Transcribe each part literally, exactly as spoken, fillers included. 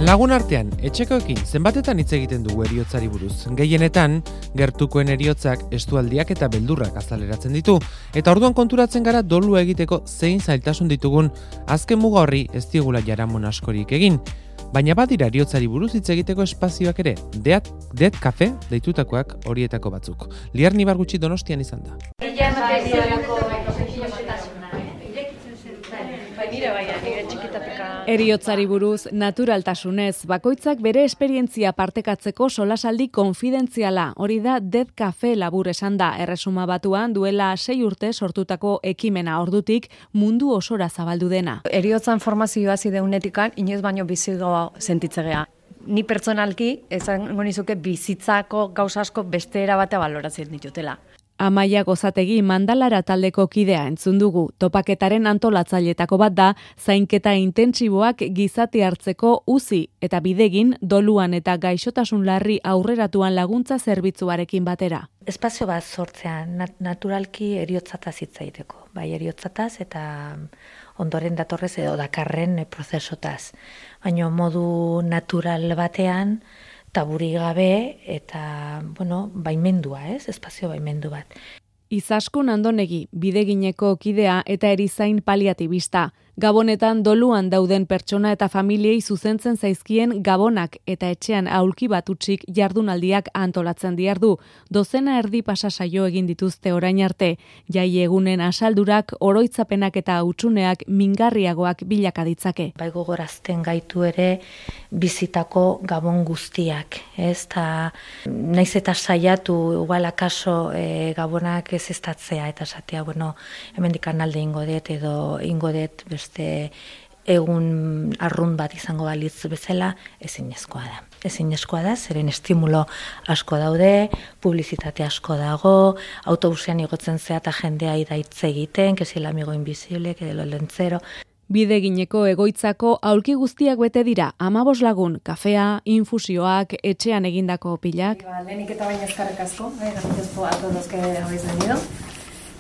Lagun artean, etxekoekin zenbatetan hitz egiten dugu heriotzari buruz. Gehienetan, gertukoen heriotzak estualdiak eta beldurrak azaleratzen ditu, eta orduan konturatzen gara dolua egiteko zein zailtasun ditugun, azken muga horri ez diegula jaramon askorik egin. Baina badira heriotzari buruz hitz egiteko espazioak ere, Dead, Dead Cafe deitutakoak horietako batzuk. Liar Nibargutxi Donostian izan da. Heriotzari buruz naturaltasunez, bakoitzak bere esperientzia partekatzeko solasaldi konfidentziala, hori da Dead Cafe labur esan da, Erresuma Batuan duela sei urte sortutako ekimena ordutik mundu osora zabaldu dena. Heriotzan formazioa zideunetikan, inoiz baino bizigoa sentitzegea. Ni pertsonalki, esango nizuke bizitzako gauza asko beste era batea baloratzen ditutela. Amaia Gozategi Mandalara taldeko kidea entzun dugu. Topaketaren antolatzailetako bat da, zainketa intentsiboak gizati hartzeko uzi eta bidegin doluan eta gaixotasun larri aurreratuan laguntza zerbitzuarekin batera. Espazio bat sortzea nat- naturalki heriotzataz hitz egiteko. Bai, heriotzataz eta ondoren datorrez edo dakarren prozesotaz. Baina modu natural batean, taburi gabe eta, bueno, baimendua, ez? Espazio baimendu bat. Izaskun Andonegi, bidegineko kidea eta erizain paliatibista. Gabonetan doluan dauden pertsona eta familiei zuzentzen zaizkien gabonak eta etxean aulki bat utzik jardunaldiak antolatzen diardu. Dozena erdi pasa saio egin dituzte orain arte. Jai egunen asaldurak, oroitzapenak eta hutsuneak mingarriagoak bilaka ditzake. Bai gogorazten gaitu ere bizitako gabon guztiak, ez? Ta naiz eta saiatu igual akaso e, gabonak ez estatzea eta esatea, bueno, hemendik alde ingo dut edo ingo dut beste egun arrun bat izango balitz bezala, ezinezkoa da. Ezinezkoa da, zeren estimulo asko daude, publizitate asko dago, autobusean igotzen zea eta jendea idaitze egiten, que si el amigo invisible, que de lo lentzero. Bidegineko egoitzako aulki guztiak bete dira, amabos lagun, kafea, infusioak, etxean egindako pilak. Lehenik eta baina eskarrik asko, gracias a todos que habéis venido.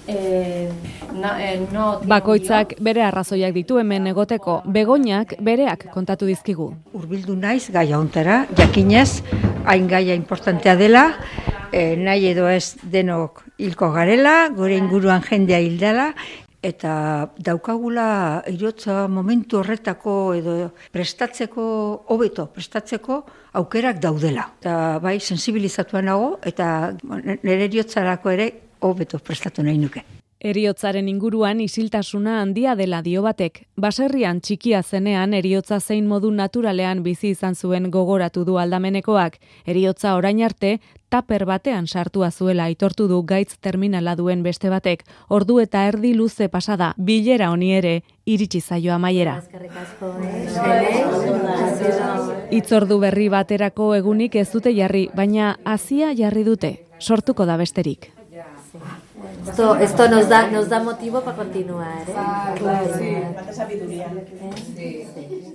Eh, no, eh, no, Bakoitzak bere arrazoiak ditu hemen egoteko, Begoñak bereak kontatu dizkigu. Hurbildu naiz gaia hontara, jakinez, hain gaia importantea dela, eh, nahi edo ez denok hilko garela, gure inguruan jendea hildela, eta daukagula heriotza momentu horretako edo prestatzeko, hobeto prestatzeko aukerak daudela. Eta bai, sensibilizatua nago eta nire heriotzarako ere hobeto prestatu nahi nuke. Heriotzaren inguruan isiltasuna handia dela dio batek. Baserrian txikia zenean heriotza zein modu naturalean bizi izan zuen gogoratu du aldamenekoak. Heriotza orain arte taper batean sartua zuela aitortu du gaitz terminala duen beste batek. Ordu eta erdi luze pasada, bilera honi ere iritsi zaio amaiera. Hitzordu berri baterako egunik ez dute jarri, baina hazia jarri dute. Sortuko da besterik. Esto, esto nos da, nos da motivo para continuar, ¿eh? Ah, claro, sí, falta sabiduría. ¿Eh? Sí. Sí.